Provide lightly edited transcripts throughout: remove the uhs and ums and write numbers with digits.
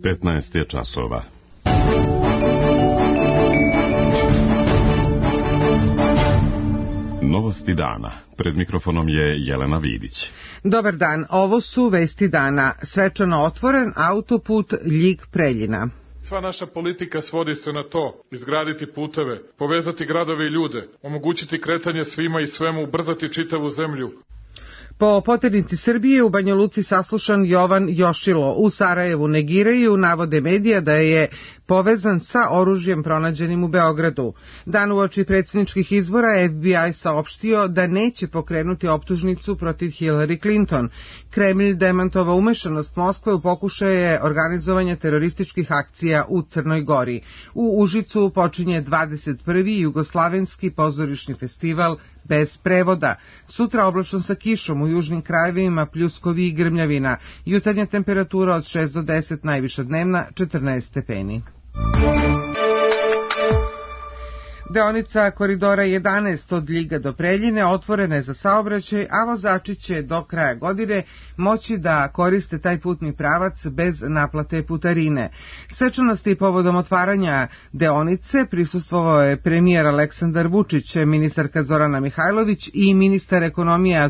15 je časova. Novosti dana. Pred mikrofonom je Jelena Vidić. Dobar dan, ovo su vesti dana. Svečano otvoren autoput Ljig-Preljina. Sva naša politika svodi se na to: izgraditi puteve, povezati gradove i ljude, omogućiti kretanje svima i svemu, ubrzati čitavu zemlju. Po poternici Srbije u Banja Luci saslušan Jovan Jošilo. U Sarajevu negiraju navode medija da je povezan sa oružjem pronađenim u Beogradu. Dan uoči predsjedničkih izbora FBI saopštio da neće pokrenuti optužnicu protiv Hillary Clinton. Kremlj demantovao umešanost Moskve u pokušaje organizovanja terorističkih akcija u Crnoj Gori. U Užicu počinje 21. jugoslavenski pozorišni festival bez prevoda. Sutra oblačno sa kišom, u južnim krajevima pljuskovi i grmljavina. Jutarnja temperatura od 6 do 10, najviša dnevna 14 stepeni. Deonica koridora 11 od Ljiga do Preljine otvorena je za saobraćaj, a vozači će do kraja godine moći da koriste taj putni pravac bez naplate putarine. Svečanosti povodom otvaranja deonice prisustvovao je premijer Aleksandar Vučić, ministarka Zorana Mihajlović i ministar ekonomije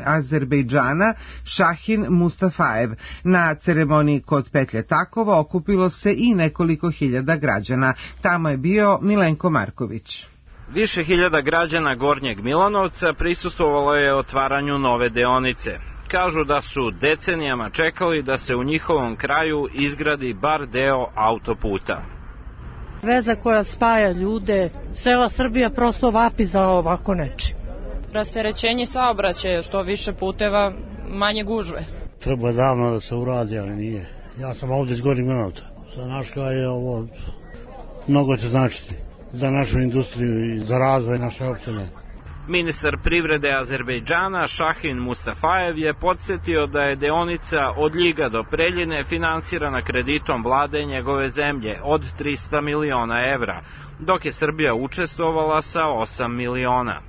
Azerbejdžana Šahin Mustafajev. Na ceremoniji kod petlje Takova okupilo se i nekoliko hiljada građana. Tamo je bio Milenko Marković. Više hiljada građana Gornjeg Milanovca prisustvovalo je otvaranju nove deonice. Kažu da su decenijama čekali da se u njihovom kraju izgradi bar deo autoputa. Veza koja spaja ljude, cela Srbija prosto vapi za ovako nečim. Rasterećenje saobraćaja, što više puteva, manje gužve. Treba davno da se uradi, ali nije. Ja sam ovdje iz Gornjeg Milanovca. Za naš kraj je ovo mnogo će značiti. Za našu industriju i za razvoj naše opštine. Ministar privrede Azerbejdžana Šahin Mustafajev je podsjetio da je deonica od Ljiga do Preljine finansirana kreditom vlade njegove zemlje od 300 miliona evra, dok je Srbija učestvovala sa 8 miliona.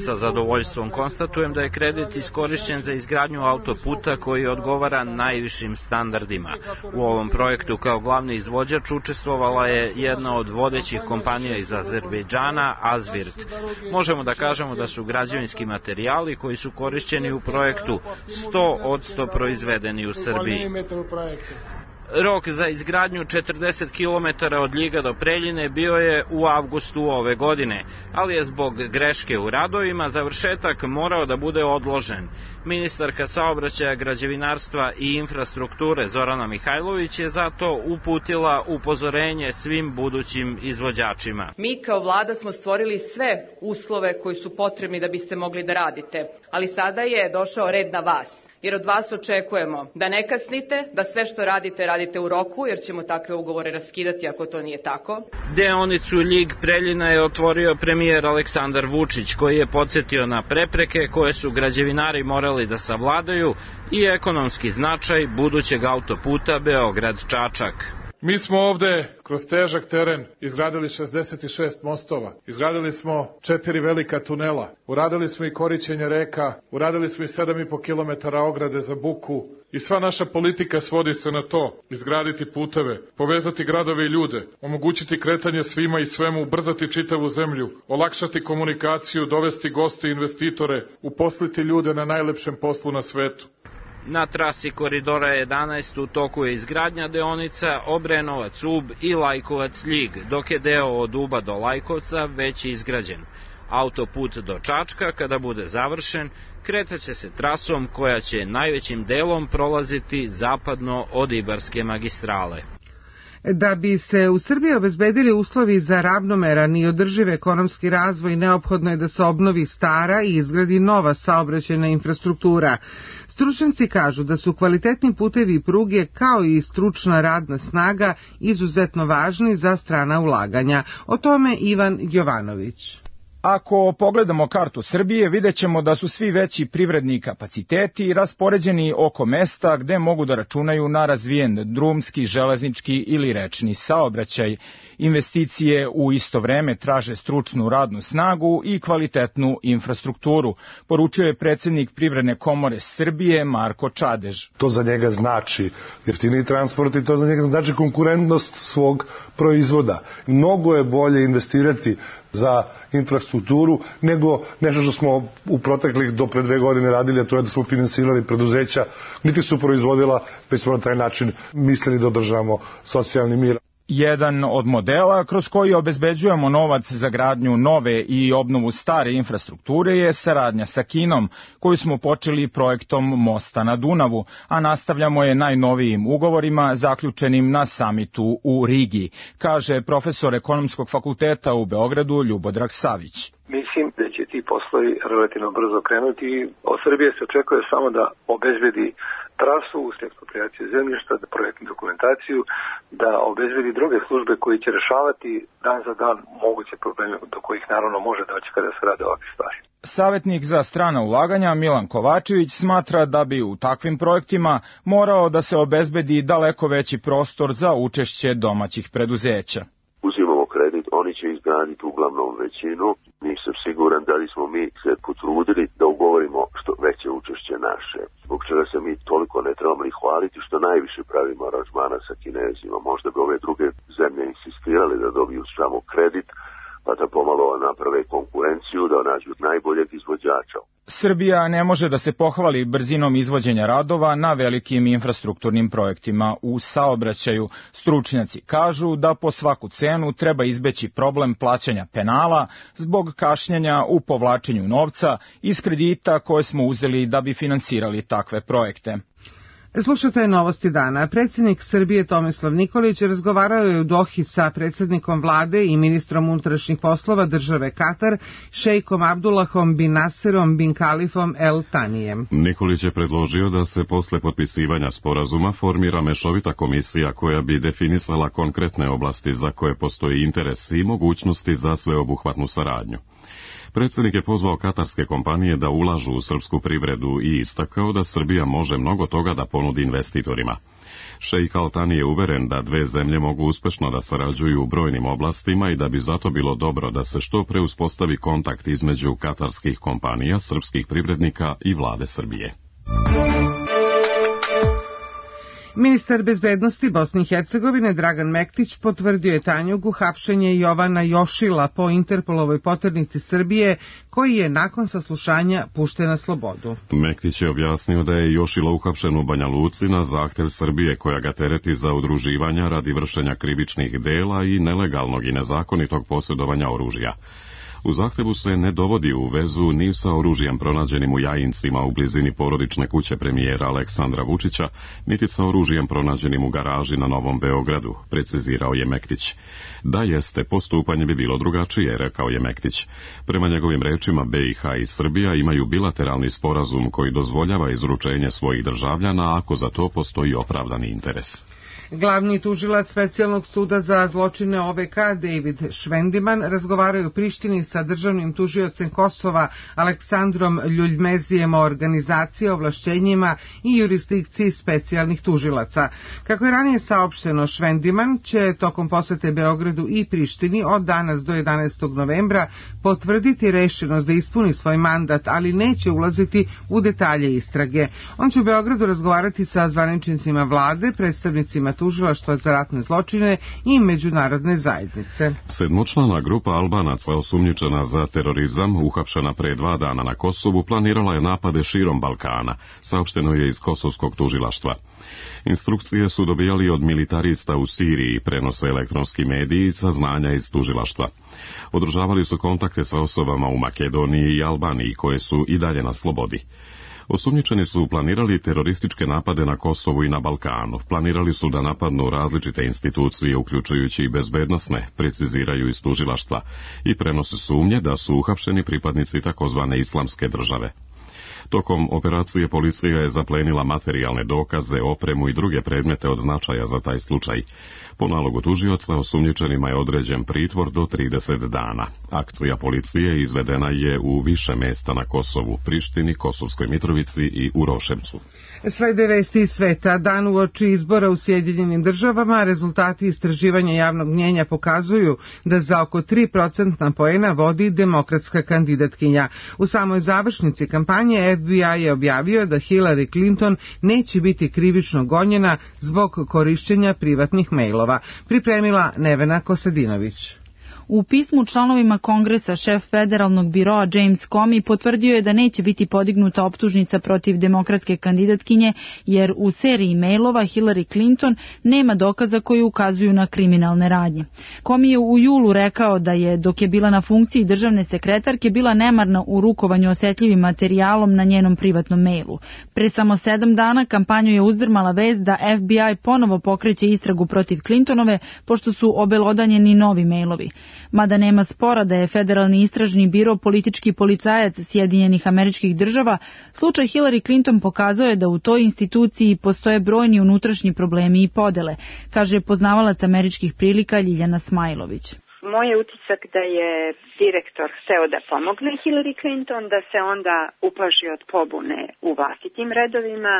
Sa zadovoljstvom konstatujem da je kredit iskorišćen za izgradnju autoputa koji odgovara najvišim standardima. U ovom projektu kao glavni izvođač učestvovala je jedna od vodećih kompanija iz Azerbejdžana, Azvirt. Možemo da kažemo da su građevinski materijali koji su korišćeni u projektu 100% proizvedeni u Srbiji. Rok za izgradnju 40 km od Ljiga do Preljine bio je u avgustu ove godine, ali je zbog greške u radovima završetak morao da bude odložen. Ministarka saobraćaja, građevinarstva i infrastrukture Zorana Mihajlović je zato uputila upozorenje svim budućim izvođačima. Mi kao vlada smo stvorili sve uslove koji su potrebni da biste mogli da radite, ali sada je došao red na vas. Jer od vas očekujemo da ne kasnite, da sve što radite, radite u roku, jer ćemo takve ugovore raskidati ako to nije tako. Deonicu Ljig-Preljina je otvorio premijer Aleksandar Vučić, koji je podsjetio na prepreke koje su građevinari morali da savladaju i ekonomski značaj budućeg autoputa Beograd-Čačak. Mi smo ovde kroz težak teren izgradili 66 mostova, izgradili smo 4 velika tunela, uradili smo i korićenje reka, uradili smo i 7,5 km ograde za buku i sva naša politika svodi se na to: izgraditi puteve, povezati gradove i ljude, omogućiti kretanje svima i svemu, ubrzati čitavu zemlju, olakšati komunikaciju, dovesti goste i investitore, uposliti ljude na najlepšem poslu na svetu. Na trasi koridora 11 u toku je izgradnja deonica Obrenovac-Ub i Lajkovac-Ljig, dok je deo od Uba do Lajkovca već izgrađen. Autoput do Čačka, kada bude završen, kretaće se trasom koja će najvećim delom prolaziti zapadno od Ibarske magistrale. Da bi se u Srbiji obezbedili uslovi za ravnomeran i održiv ekonomski razvoj, neophodno je da se obnovi stara i izgradi nova saobraćajna infrastruktura. Stručnjaci kažu da su kvalitetni putevi i pruge kao i stručna radna snaga izuzetno važni za strana ulaganja. O tome Ivan Jovanović. Ako pogledamo kartu Srbije, videćemo da su svi veći privredni kapaciteti raspoređeni oko mesta gde mogu da računaju na razvijen drumski, železnički ili rečni saobraćaj Investicije u isto vreme traže stručnu radnu snagu i kvalitetnu infrastrukturu, poručio je predsjednik Privredne komore Srbije Marko Čadež. To za njega znači jeftiniji transport i to za njega znači konkurentnost svog proizvoda. Mnogo je bolje investirati za infrastrukturu nego nešto što smo u proteklih do pre 2 godine radili, a to je da smo finansirali preduzeća, niti su proizvodila, već smo na taj način mislili da održavamo socijalni mir. Jedan od modela kroz koji obezbeđujemo novac za gradnju nove i obnovu stare infrastrukture je saradnja sa Kinom, koju smo počeli projektom Mosta na Dunavu, a nastavljamo je najnovijim ugovorima zaključenim na samitu u Rigi, kaže profesor Ekonomskog fakulteta u Beogradu Ljubodrag Savić. Mislim da će ti poslovi relativno brzo krenuti. Od Srbije se očekuje samo da obezbedi trasu, ekspropriaciju zemljišta, da projektnu dokumentaciju, da obezbedi druge službe koji će rešavati dan za dan moguće probleme do kojih naravno može doći kada se rade ovakve stvari. Savjetnik za strana ulaganja Milan Kovačević smatra da bi u takvim projektima morao da se obezbedi daleko veći prostor za učešće domaćih preduzeća. Uzimamo kredit, oni će izgraditi uglavnom većinu. Nisam siguran da li smo mi se potrudili da ugovorimo što veće učešće naše. Zbog čega se mi toliko ne trebamo ni hvaliti što najviše pravimo aranžmana sa Kinezima. Možda bi ove druge zemlje insistirali da dobiju samo kredit, pa da pomalo naprave konkurenciju, da nađu najboljeg izvođača. Srbija ne može da se pohvali brzinom izvođenja radova na velikim infrastrukturnim projektima u saobraćaju. Stručnjaci kažu da po svaku cenu treba izbeći problem plaćanja penala zbog kašnjenja u povlačenju novca iz kredita koje smo uzeli da bi finansirali takve projekte. Slušate novosti dana. Predsjednik Srbije Tomislav Nikolić razgovarao je u Dohi sa predsjednikom vlade i ministrom unutrašnjih poslova države Katar, šejkom Abdullahom bin Naserom bin Kalifom El Tanijem. Nikolić je predložio da se posle potpisivanja sporazuma formira mešovita komisija koja bi definisala konkretne oblasti za koje postoji interes i mogućnosti za sveobuhvatnu saradnju. Predsjednik je pozvao katarske kompanije da ulažu u srpsku privredu i istakao da Srbija može mnogo toga da ponudi investitorima. Šejk Al Tani je uveren da dve zemlje mogu uspešno da sarađuju u brojnim oblastima i da bi zato bilo dobro da se što pre uspostavi kontakt između katarskih kompanija, srpskih privrednika i vlade Srbije. Ministar bezbednosti Bosne i Hercegovine Dragan Mektić potvrdio je Tanjugu hapšenje Jovana Jošila po Interpolovoj poternici Srbije, koji je nakon saslušanja pušten na slobodu. Mektić je objasnio da je Jošilo uhapšen u Banja Luci na zahtev Srbije koja ga tereti za udruživanja radi vršenja krivičnih dela i nelegalnog i nezakonitog posjedovanja oružja. U zahtevu se ne dovodi u vezu ni sa oružjem pronađenim u Jajincima u blizini porodične kuće premijera Aleksandra Vučića, niti sa oružjem pronađenim u garaži na Novom Beogradu, precizirao je Mektić. Da jeste, postupanje bi bilo drugačije, rekao je Mektić. Prema njegovim rečima, BiH i Srbija imaju bilateralni sporazum koji dozvoljava izručenje svojih državljana ako za to postoji opravdani interes. Glavni tužilac Specijalnog suda za zločine OVK David Švendiman razgovarao je u Prištini sa državnim tužiocem Kosova Aleksandrom Ljuljmezijem o organizaciji, ovlašćenjima i jurisdikciji specijalnih tužilaca. Kako je ranije saopšteno, Švendiman će tokom posete Beogradu i Prištini od danas do 11. novembra potvrditi rešenost da ispuni svoj mandat, ali neće ulaziti u detalje istrage. On će u Beogradu razgovarati sa zvaničnicima vlade, predstavnicima tužilaštva za ratne zločine i međunarodne zajednice. Sedmočlana grupa Albanaca osumnjičena za terorizam, uhapšena pre 2 dana na Kosovu, planirala je napade širom Balkana, saopšteno je iz kosovskog tužilaštva. Instrukcije su dobijali od militarista u Siriji, prenose elektronski mediji i saznanja iz tužilaštva. Održavali su kontakte sa osobama u Makedoniji i Albaniji koje su i dalje na slobodi. Osumnjičeni su planirali terorističke napade na Kosovu i na Balkanu. Planirali su da napadnu različite institucije, uključujući i bezbednosne, preciziraju iz tužilaštva, i prenose sumnje da su uhapšeni pripadnici takozvane islamske države. Tokom operacije policija je zaplenila materijalne dokaze, opremu i druge predmete od značaja za taj slučaj. Po nalogu tužioca osumnjičenima je određen pritvor do 30 dana. Akcija policije izvedena je u više mesta na Kosovu, Prištini, Kosovskoj Mitrovici i u Roševcu. Slede vesti iz sveta. Dan uoči izbora u Sjedinjenim Državama, rezultati istraživanja javnog mnjenja pokazuju da za oko 3% poena vodi demokratska kandidatkinja. U samoj završnici kampanje FBI je objavio da Hillary Clinton neće biti krivično gonjena zbog korišćenja privatnih mejlova. Pripremila Nevena Kostadinović. U pismu članovima Kongresa šef federalnog biroa James Comey potvrdio je da neće biti podignuta optužnica protiv demokratske kandidatkinje jer u seriji mailova Hillary Clinton nema dokaza koji ukazuju na kriminalne radnje. Comey je u julu rekao da je dok je bila na funkciji državne sekretarke bila nemarna u rukovanju osetljivim materijalom na njenom privatnom mailu. Pre samo 7 dana kampanju je uzdrmala vest da FBI ponovo pokreće istragu protiv Clintonove pošto su obelodanjeni novi mailovi. Mada nema spora da je Federalni istražni biro politički policajac Sjedinjenih Američkih Država, slučaj Hillary Clinton pokazao je da u toj instituciji postoje brojni unutrašnji problemi i podele, kaže poznavalac američkih prilika Ljiljana Smajlović. Moj je utisak da je direktor hteo da pomogne Hillary Clinton, da se onda uplaši od pobune u vlastitim redovima,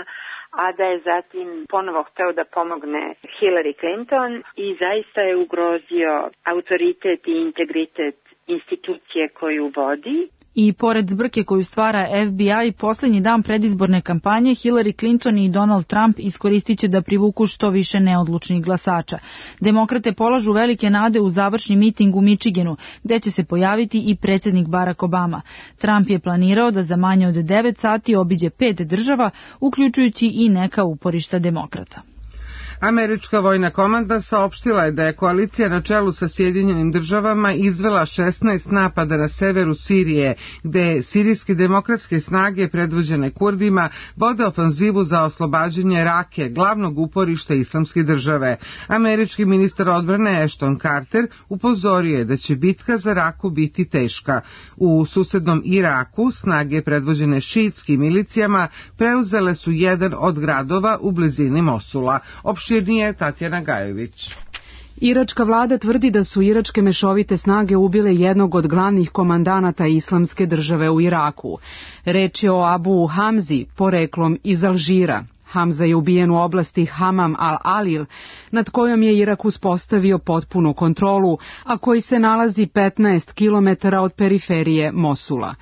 a da je zatim ponovo hteo da pomogne Hillary Clinton i zaista je ugrozio autoritet i integritet institucije koju vodi. I pored zbrke koju stvara FBI, posljednji dan predizborne kampanje Hillary Clinton i Donald Trump iskoristit će da privuku što više neodlučnih glasača. Demokrate polažu velike nade u završni miting u Michiganu, gde će se pojaviti i predsjednik Barack Obama. Trump je planirao da za manje od 9 sati obiđe 5 država, uključujući i neka uporišta demokrata. Američka vojna komanda saopštila je da je koalicija na čelu sa Sjedinjenim Državama izvela 16 napada na severu Sirije, gde sirijske demokratske snage predvođene Kurdima vode ofanzivu za oslobađanje Rake, glavnog uporišta Islamske države. Američki ministar odbrane Ashton Carter upozorio je da će bitka za Raku biti teška. U susednom Iraku snage predvođene šiitskim milicijama preuzele su jedan od gradova u blizini Mosula. Opširnije Tatjana Gajović. Iračka vlada tvrdi da su iračke mešovite snage ubile jednog od glavnih komandanata Islamske države u Iraku. Reč je o Abu Hamzi, poreklom iz Alžira. Hamza je ubijen u oblasti Hamam al-Alil, nad kojom je Irak uspostavio potpunu kontrolu, a koji se nalazi 15 km od periferije Mosula.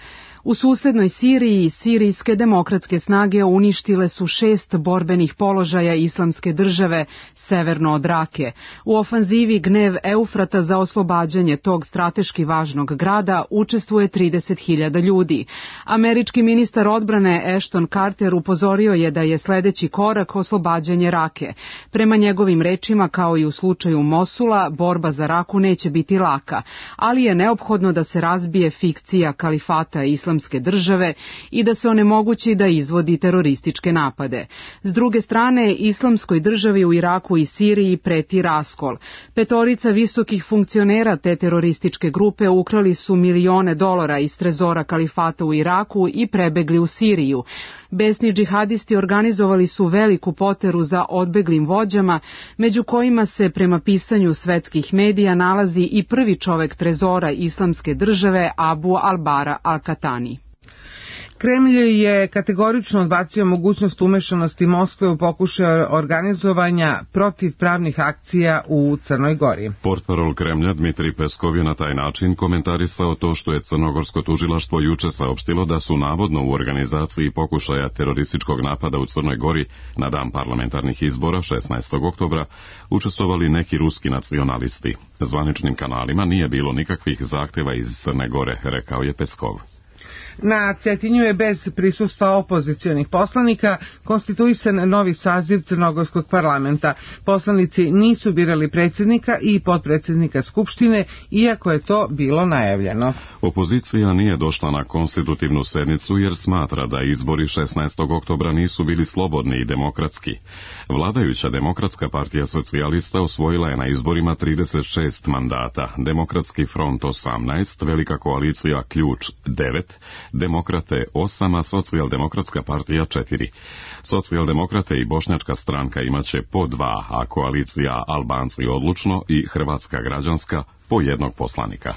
U susednoj Siriji, sirijske demokratske snage uništile su 6 borbenih položaja Islamske države severno od Rake. U ofanzivi Gnev Eufrata za oslobađanje tog strateški važnog grada učestvuje 30.000 ljudi. Američki ministar odbrane Ashton Carter upozorio je da je sledeći korak oslobađanje Rake. Prema njegovim rečima, kao i u slučaju Mosula, borba za Raku neće biti laka, ali je neophodno da se razbije fikcija kalifata Islamske države i da se onemogući da izvodi terorističke napade. S druge strane, Islamskoj državi u Iraku i Siriji preti raskol. 5 visokih funkcionera te terorističke grupe ukrali su milione dolara iz trezora kalifata u Iraku i prebegli u Siriju. Besni džihadisti organizovali su veliku poteru za odbeglim vođama, među kojima se prema pisanju svetskih medija nalazi i prvi čovek trezora Islamske države Abu al-Bara al-Katani. Kremlj je kategorično odbacio mogućnost umešanosti Moskve u pokušaj organizovanja protivpravnih akcija u Crnoj Gori. Portparol Kremlja Dmitrij Peskov je na taj način komentarisao to što je crnogorsko tužilaštvo juče saopštilo da su navodno u organizaciji pokušaja terorističkog napada u Crnoj Gori na dan parlamentarnih izbora 16. oktobra učestvovali neki ruski nacionalisti. Zvaničnim kanalima nije bilo nikakvih zahteva iz Crne Gore, rekao je Peskov. Na Cetinju je bez prisustva opozicionih poslanika konstituisan novi saziv Crnogorskog parlamenta. Poslanici nisu birali predsjednika i potpredsjednika Skupštine, iako je to bilo najavljeno. Opozicija nije došla na konstitutivnu sednicu jer smatra da izbori 16. oktobra nisu bili slobodni i demokratski. Vladajuća Demokratska partija socijalista osvojila je na izborima 36 mandata, Demokratski front 18, Velika koalicija Ključ 9, Demokrate 8, a Socijaldemokratska partija 4. Socijaldemokrate i Bošnjačka stranka imaće po 2, a koalicija Albanci odlučno i Hrvatska građanska po 1 poslanika.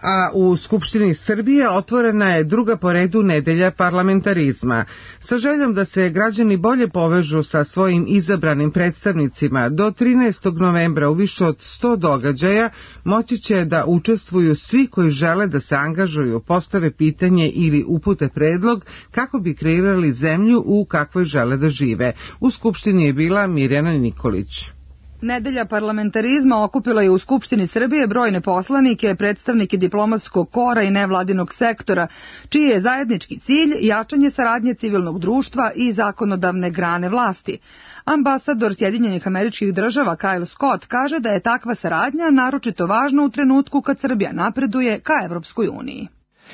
A u Skupštini Srbije otvorena je druga po redu nedelja parlamentarizma. Sa željom da se građani bolje povežu sa svojim izabranim predstavnicima, do 13. novembra u više od 100 događaja moći će da učestvuju svi koji žele da se angažuju, postave pitanje ili upute predlog kako bi kreirali zemlju u kakvoj žele da žive. U Skupštini je bila Mirjana Nikolić. Nedelja parlamentarizma okupila je u Skupštini Srbije brojne poslanike, predstavnike diplomatskog kora i nevladinog sektora, čiji je zajednički cilj jačanje saradnje civilnog društva i zakonodavne grane vlasti. Ambasador Sjedinjenih Američkih Država Kyle Scott kaže da je takva saradnja naročito važna u trenutku kad Srbija napreduje ka Evropskoj uniji.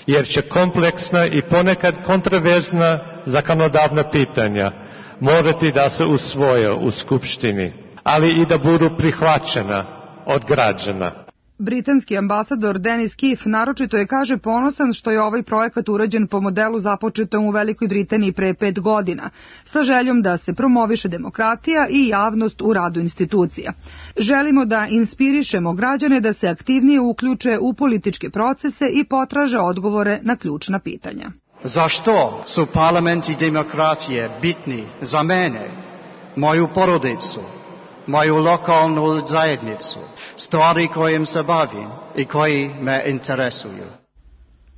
Jer će kompleksna i ponekad kontroverzna zakonodavna pitanja morati da se usvoje u Skupštini, ali i da budu prihvaćena od građana. Britanski ambasador Denis Keefe naročito je, kaže, ponosan što je ovaj projekat urađen po modelu započetom u Velikoj Britaniji pre 5 godina, sa željom da se promoviše demokratija i javnost u radu institucija. Želimo da inspirišemo građane da se aktivnije uključe u političke procese i potraže odgovore na ključna pitanja. Zašto su parlament i demokratije bitni za mene, moju porodicu, moju lokalnu zajednicu, stvari kojim se bavim i koji me interesuju?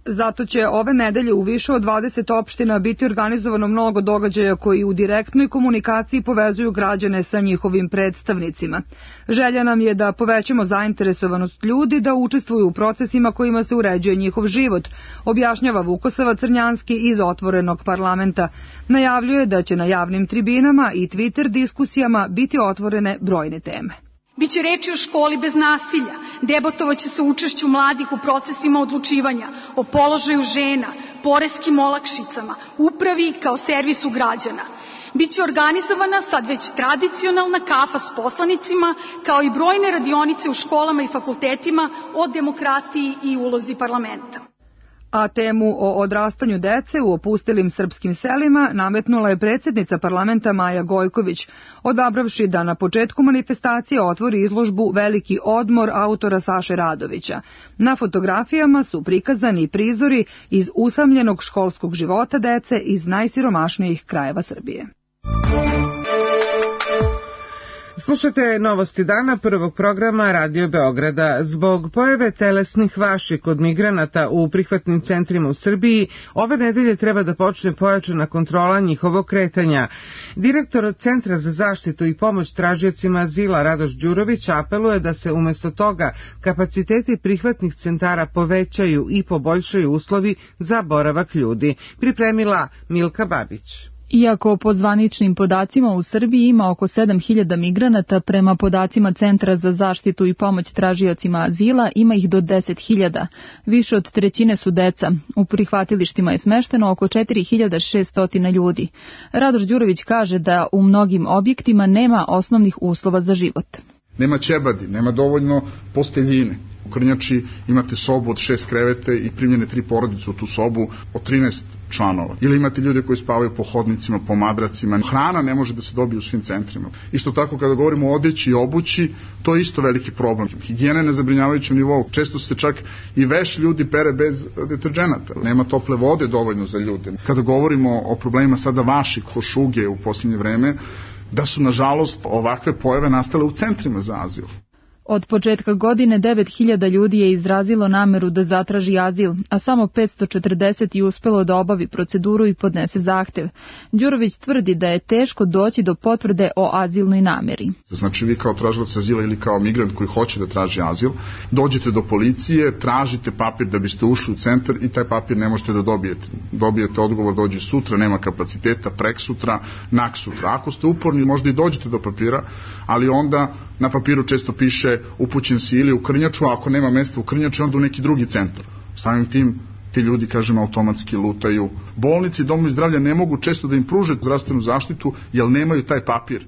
Zato će ove nedelje u više od 20 opština biti organizovano mnogo događaja koji u direktnoj komunikaciji povezuju građane sa njihovim predstavnicima. Želja nam je da povećamo zainteresovanost ljudi da učestvuju u procesima kojima se uređuje njihov život, objašnjava Vukosava Crnjanski iz Otvorenog parlamenta. Najavljuje da će na javnim tribinama i Twitter diskusijama biti otvorene brojne teme. Biće reči o školi bez nasilja, debatovaće se učešću mladih u procesima odlučivanja, o položaju žena, poreskim olakšicama, upravi kao servisu građana. Biće organizovana sad već tradicionalna kafa s poslanicima, kao i brojne radionice u školama i fakultetima o demokratiji i ulozi parlamenta. A temu o odrastanju dece u opustelim srpskim selima nametnula je predsjednica parlamenta Maja Gojković, odabravši da na početku manifestacije otvori izložbu Veliki odmor autora Saše Radovića. Na fotografijama su prikazani prizori iz usamljenog školskog života dece iz najsiromašnijih krajeva Srbije. Slušate novosti dana prvog programa Radio Beograda. Zbog pojave telesnih vaši kod migranata u prihvatnim centrima u Srbiji, ove nedelje treba da počne pojačana kontrola njihovog kretanja. Direktor Centra za zaštitu i pomoć tražiocima azila Radoš Đurović apeluje da se umjesto toga kapaciteti prihvatnih centara povećaju i poboljšaju uslovi za boravak ljudi. Pripremila Milka Babić. Iako po zvaničnim podacima u Srbiji ima oko 7.000 migranata, prema podacima Centra za zaštitu i pomoć tražiocima azila ima ih do 10.000. Više od trećine su deca. U prihvatilištima je smešteno oko 4.600 ljudi. Radoš Đurović kaže da u mnogim objektima nema osnovnih uslova za život. Nema ćebadi, nema dovoljno posteljine. U Krnjači imate sobu od 6 krevete i primljene 3 porodice u tu sobu od 13 članova. Ili imate ljude koji spavaju po hodnicima, po madracima. Hrana ne može da se dobije u svim centrima. Isto tako kada govorimo o odeći i obući, to je isto veliki problem. Higijena je na zabrinjavajućem nivou. Često se čak i veš ljudi pere bez deterđenata. Nema tople vode dovoljno za ljude. Kada govorimo o problemima sada vaši košuge u posljednje vreme, da su nažalost ovakve pojave nastale u centrima za azil. Od početka godine 9.000 ljudi je izrazilo nameru da zatraži azil, a samo 540 je uspelo da obavi proceduru i podnese zahtev. Đurović tvrdi da je teško doći do potvrde o azilnoj nameri. Znači vi kao tražilac azila ili kao migrant koji hoće da traži azil, dođete do policije, tražite papir da biste ušli u centar i taj papir ne možete da dobijete. Dobijete odgovor, dođe sutra, nema kapaciteta, preksutra, naksutra. Ako ste uporni, možda i dođete do papira, ali onda na papiru često piše upućen si ili u Krnjaču, a ako nema mesta u Krnjaču, onda u neki drugi centar. Samim tim, ti ljudi, kažemo, automatski lutaju. Bolnici i domovi zdravlja ne mogu često da im pruže zdravstvenu zaštitu, jer nemaju taj papir.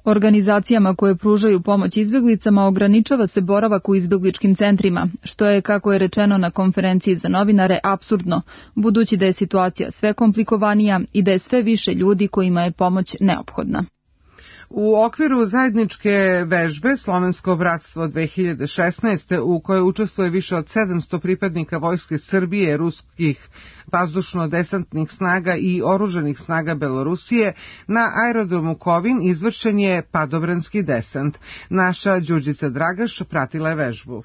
Organizacijama koje pružaju pomoć izbjeglicama ograničava se boravak u izbjegličkim centrima, što je, kako je rečeno na konferenciji za novinare, apsurdno, budući da je situacija sve komplikovanija i da je sve više ljudi kojima je pomoć neophodna. U okviru zajedničke vežbe Slovensko bratstvo 2016. u kojoj učestvuje više od 700 pripadnika Vojske Srbije, ruskih vazdušno-desantnih snaga i oružanih snaga Belorusije, na aerodromu Kovin izvršen je padobranski desant. Naša Đurđica Dragaš pratila je vežbu.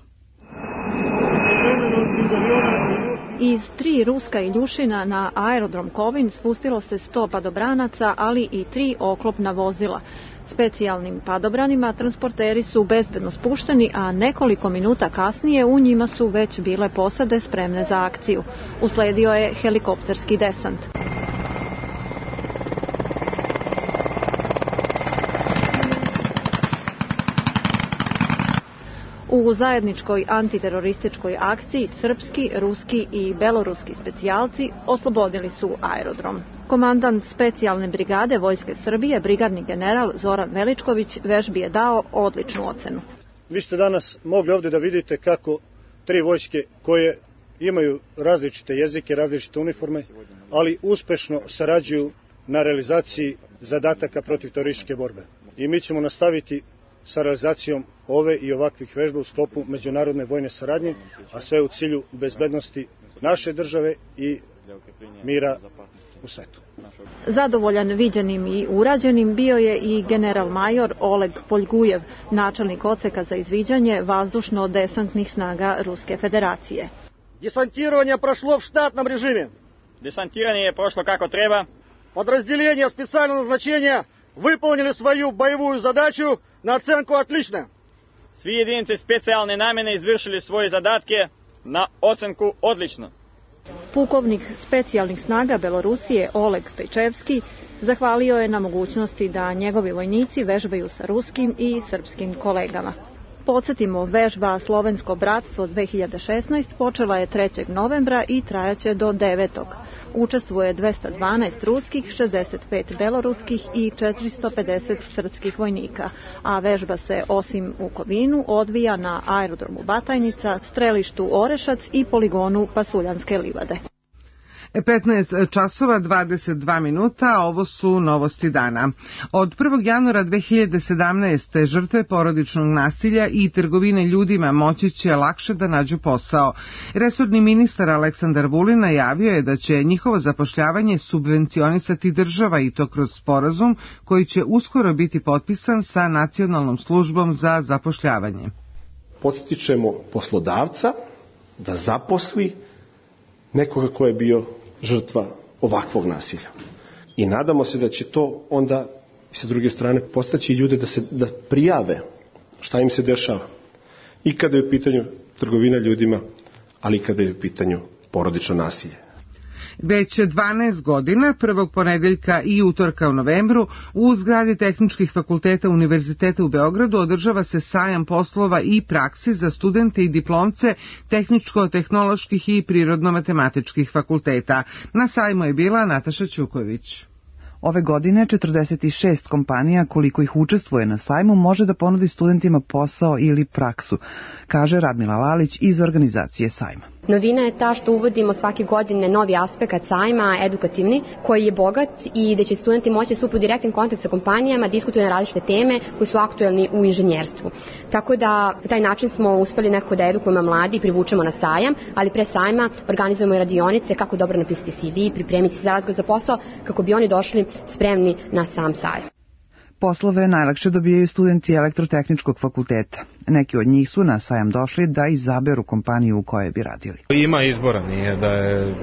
Iz 3 ruska Iljušina na aerodrom Kovin spustilo se 100 padobranaca, ali i 3 oklopna vozila. Specijalnim padobranima transporteri su bezbedno spušteni, a nekoliko minuta kasnije u njima su već bile posade spremne za akciju. Usledio je helikopterski desant. U zajedničkoj antiterorističkoj akciji srpski, ruski i beloruski specijalci oslobodili su aerodrom. Komandant specijalne brigade Vojske Srbije, brigadni general Zoran Veličković, vežbi je dao odličnu ocenu. Vi ste danas mogli ovdje da vidite kako 3 vojske koje imaju različite jezike, različite uniforme, ali uspešno sarađuju na realizaciji zadataka protiv terorističke borbe. I mi ćemo nastaviti sa realizacijom ove i ovakvih vežba u sklopu međunarodne vojne saradnje, a sve u cilju bezbednosti naše države i mira u svetu. Zadovoljan viđenim i urađenim bio je i general major Oleg Poljgujev, načelnik odseka za izviđanje vazdušno-desantnih snaga Ruske federacije. Десантирование прошло в штатном режиме. Десантирование прошло kako treba. Подразделения специального назначения выполнили свою боевую задачу на оценку отлично. Svi jedinice specijalne namjene izvršili svoje zadatke na ocenku odlično. Pukovnik specijalnih snaga Belorusije Oleg Pejčevski zahvalio je na mogućnosti da njegovi vojnici vežbaju sa ruskim i srpskim kolegama. Podsjetimo, vežba Slovensko bratstvo 2016 počela je 3. novembra i trajaće do 9. Učestvuje 212 ruskih, 65 beloruskih i 450 srpskih vojnika, a vežba se osim u Kovinu odvija na aerodromu Batajnica, strelištu Orešac i poligonu Pasuljanske livade. 15 časova 22 minuta, ovo su novosti dana. Od 1. januara 2017. žrtve porodičnog nasilja i trgovine ljudima moći će lakše da nađu posao. Resorni ministar Aleksandar Vulin najavio je da će njihovo zapošljavanje subvencionisati država i to kroz sporazum koji će uskoro biti potpisan sa Nacionalnom službom za zapošljavanje. Podstičemo poslodavca da zaposli nekoga ko je bio žrtva ovakvog nasilja. I nadamo se da će to onda sa druge strane postaći ljude da prijave šta im se dešava. I kada je u pitanju trgovina ljudima, ali i kada je u pitanju porodično nasilje. Već 12 godina, prvog ponedeljka i utorka u novembru, u zgradi tehničkih fakulteta Univerziteta u Beogradu održava se sajam poslova i praksi za studente i diplomce tehničko-tehnoloških i prirodno-matematičkih fakulteta. Na sajmu je bila Nataša Ćuković. Ove godine 46 kompanija koliko ih učestvuje na sajmu može da ponudi studentima posao ili praksu, kaže Radmila Lalić iz organizacije sajma. Novina je ta što uvodimo svake godine novi aspekt sajma, edukativni, koji je bogat i da će studenti moći da stupe u direktan kontakt sa kompanijama, diskutuju na različite teme koji su aktuelni u inženjerstvu. Tako da taj način smo uspeli nekako da edukujemo mladi i privučemo na sajam, ali pre sajma organizujemo i radionice kako dobro napisati CV, pripremiti se za razgovor za posao, kako bi oni došli spremni na sam sajam. Poslove najlakše dobijaju studenti elektrotehničkog fakulteta. Neki od njih su na sajam došli da izaberu kompaniju u kojoj bi radili. Ima izbora, nije da je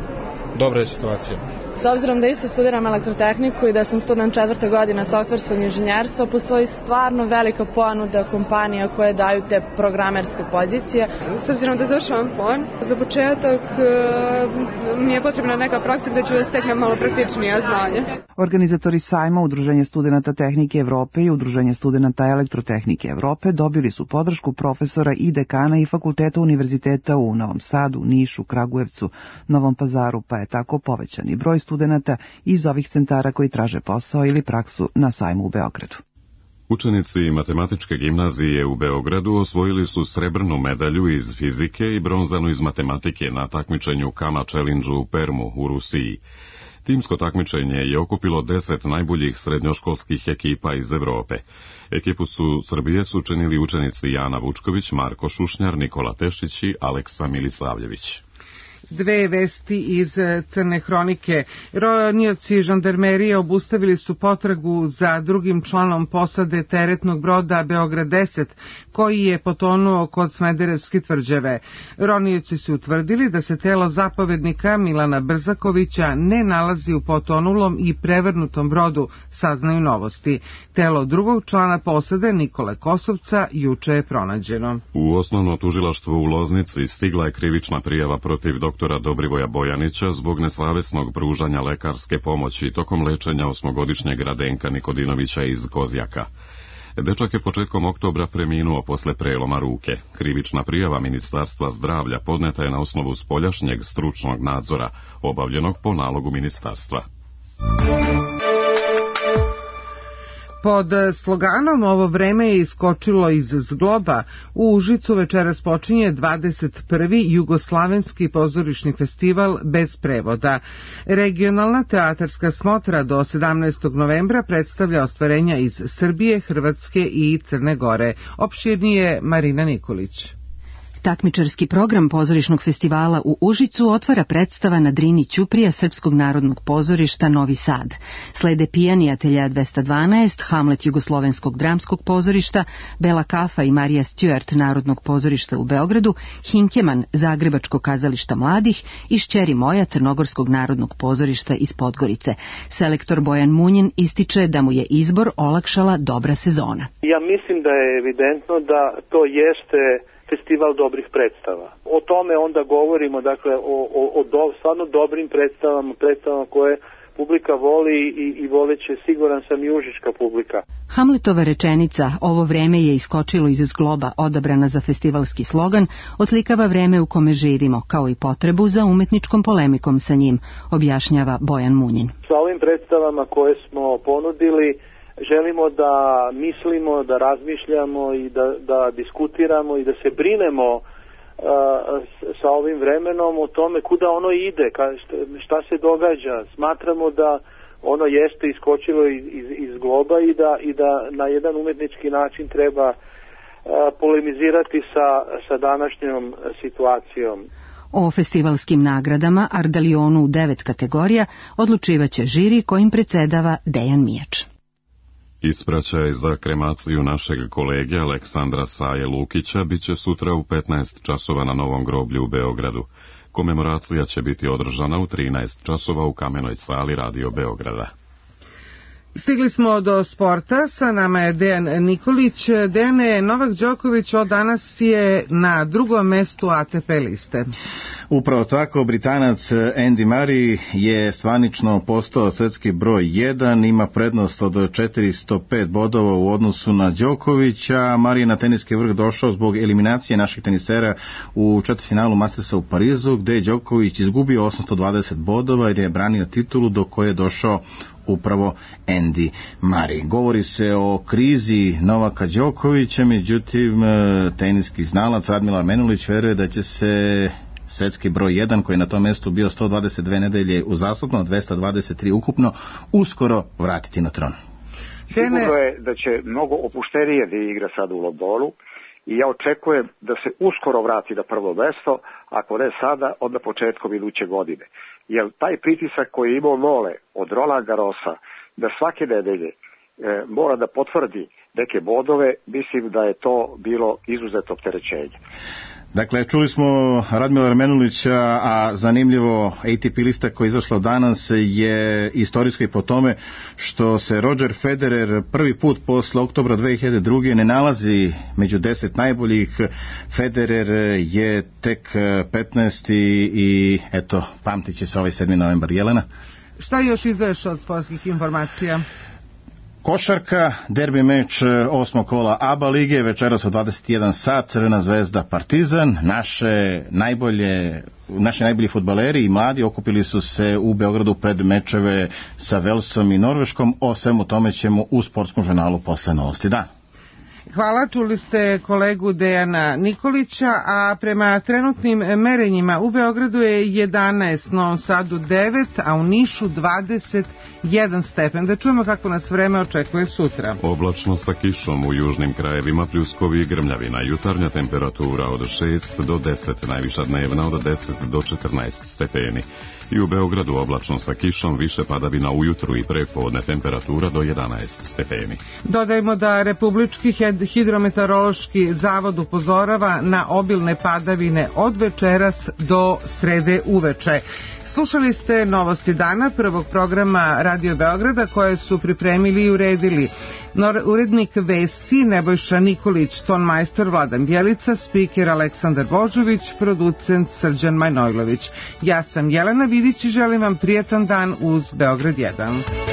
dobra situacija. S obzirom da isto studiram elektrotehniku i da sam student 4. godine softverskog inženjerstva, postoji stvarno velika ponuda kompanija koje daju te programerske pozicije. S obzirom da završavam PON, za početak mi je potrebna neka praksa gde ću da steknem malo praktičnija znanja. Organizatori sajma Udruženje studenata tehnike Evrope i Udruženje studenata elektrotehnike Evrope dobili su podršku profesora i dekana i fakulteta univerziteta u Novom Sadu, Nišu, Kragujevcu, Novom Pazaru, pa je tako povećani broj studenata iz ovih centara koji traže posao ili praksu na sajmu u Beogradu. Učenici matematičke gimnazije u Beogradu osvojili su srebrnu medalju iz fizike i bronzanu iz matematike na takmičenju Kama Challenge u Permu u Rusiji. Timsko takmičenje je okupilo 10 najboljih srednjoškolskih ekipa iz Evrope. Ekipu Srbije su činili učenici Jana Vučković, Marko Šušnjar, Nikola Tešić i Aleksa Milisavljević. Dve vesti iz Crne hronike. Ronioci žandarmerije obustavili su potragu za drugim članom posade teretnog broda Beograd 10, koji je potonuo kod Smederevske tvrđave. Ronioci su utvrdili da se telo zapovednika Milana Brzakovića ne nalazi u potonulom i prevrnutom brodu, saznaju Novosti. Telo drugog člana posade Nikole Kosovca juče je pronađeno. U osnovno tužilaštvo u Loznici stigla je krivična prijava protiv doktora Dobrivoja Bojanića zbog nesavesnog pružanja lekarske pomoći tokom lečenja 8-godišnjeg Radenka Nikodinovića iz Kozjaka. Dečak je početkom oktobra preminuo posle preloma ruke. Krivična prijava Ministarstva zdravlja podneta je na osnovu spoljašnjeg stručnog nadzora, obavljenog po nalogu ministarstva. Pod sloganom "Ovo vreme je iskočilo iz zgloba", u Užicu večeras počinje 21. Jugoslavenski pozorišni festival bez prevoda. Regionalna teatarska smotra do 17. novembra predstavlja ostvarenja iz Srbije, Hrvatske i Crne Gore. Opširnije Marina Nikolić. Takmičarski program pozorišnog festivala u Užicu otvara predstava na Drini Ćuprija Srpskog narodnog pozorišta Novi Sad. Slede Pijani Atelja 212, Hamlet Jugoslovenskog dramskog pozorišta, Bela Kafa i Marija Stewart Narodnog pozorišta u Beogradu, Hinkeman Zagrebačkog kazališta mladih i Šćeri moja Crnogorskog narodnog pozorišta iz Podgorice. Selektor Bojan Munjin ističe da mu je izbor olakšala dobra sezona. Ja mislim da je evidentno da to jeste festival dobrih predstava. O tome onda govorimo, dakle, o stvarno dobrim predstavama koje publika voli i voleće, siguran sam, i užička publika. Hamletova rečenica "Ovo vreme je iskočilo iz zgloba", odabrana za festivalski slogan, oslikava vreme u kome živimo, kao i potrebu za umetničkom polemikom sa njim, objašnjava Bojan Munjin. Sa ovim predstavama koje smo ponudili, želimo da mislimo, da razmišljamo i da diskutiramo i da se brinemo sa ovim vremenom o tome kuda ono ide, šta se događa. Smatramo da ono jeste iskočilo iz globa i da na jedan umetnički način treba polemizirati sa današnjom situacijom. O festivalskim nagradama Ardalionu u 9 kategorija odlučivaće žiri kojim predsedava Dejan Mijač. Ispraćaj za kremaciju našeg kolege Aleksandra Saje Lukića biće sutra u 15 časova na Novom groblju u Beogradu. Komemoracija će biti održana u 13 časova u Kamenoj sali Radio Beograda. Stigli smo do sporta, sa nama je Dejan Nikolić. Dejane, Novak Đoković od danas je na drugom mestu ATP liste. Upravo tako, Britanac Andy Murray je zvanično postao svetski broj 1, ima prednost od 405 bodova u odnosu na Đokovića. Murray je na teniski vrh došao zbog eliminacije naših tenisera u četvrtfinalu Mastersa u Parizu, gde je Đoković izgubio 820 bodova jer je branio titulu do koje je došao upravo Andy Murray. Govori se o krizi Novaka Đokovića, međutim teniski znalac Radmila Menulić veruje da će se svetski broj 1, koji je na tom mjestu bio 122 nedelje uzastopno, 223 ukupno, uskoro vratiti na tron. Sigurno je da će mnogo opuštenije da igra sad u Londonu i ja očekujem da se uskoro vrati na prvo mesto, ako ne sada, onda početkom iduće godine. Jer taj pritisak koji je imao Nole od Roland Garrosa da svake nedelje mora da potvrdi neke bodove, mislim da je to bilo izuzetno opterećenje. Dakle, čuli smo Radmila Menulića, a zanimljivo ATP lista koja je izašla danas je istorijska i po tome što se Roger Federer prvi put posle oktobra 2002. ne nalazi među 10 najboljih. Federer je tek 15. i eto, pamtit će se ovaj 7. novembar. Jelena? Šta još izdaješ od sportskih informacija? Košarka, derbi meč 8. kola ABA lige, večeras u 21 sat, Crvena zvezda Partizan. Naši najbolji fudbaleri i mladi okupili su se u Beogradu pred mečeve sa Velsom i Norveškom. O svemu tome ćemo u Sportskom žurnalu posle novosti. Da. Hvala, čuli ste kolegu Dejana Nikolića, a prema trenutnim merenjima u Beogradu je 11, Novom Sadu 9, a u Nišu 21 stepen. Da čujemo kako nas vreme očekuje sutra. Oblačno sa kišom u južnim krajevima, pljuskovi i grmljavina. Jutarnja temperatura od 6 do 10, najviša dnevna od 10 do 14 stepeni. I u Beogradu oblačno sa kišom, više padavina ujutru i prepodne, temperatura do 11 stepeni. Dodajmo da Republički hidrometeorološki zavod upozorava na obilne padavine od večeras do srede uveče. Slušali ste novosti dana prvog programa Radio Beograda koje su pripremili i uredili urednik vesti Nebojša Nikolić, tonmajstor Vladan Bjelica, spiker Aleksandar Božović, producent Srđan Manojlović. Ja sam Jelena Vidić i želim vam prijetan dan uz Beograd 1.